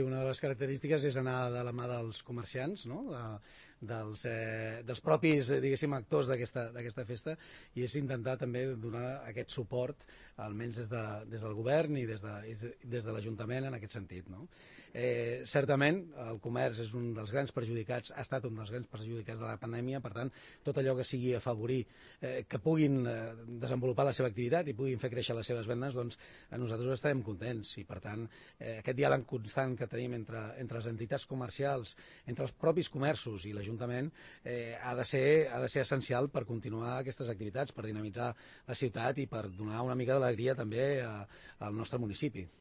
Una de les característiques és anar de la mà dels comerciants, no? Dels propis, diguéssim, actors d'aquesta festa, i és intentar també donar aquest suport, almenys des del govern i des de l'Ajuntament en aquest sentit, no? Certament el comerç és un dels grans perjudicats, ha estat un dels grans perjudicats de la pandèmia, per tant tot allò que sigui afavorir que puguin desenvolupar la seva activitat i puguin fer créixer les seves vendes, doncs a nosaltres estarem contents, i per tant aquest diàleg constant que tenim entre les entitats comercials, entre els propis comerços i l'Ajuntament ha de ser essencial per continuar aquestes activitats, per dinamitzar la ciutat i per donar una mica d'alegria també al nostre municipi.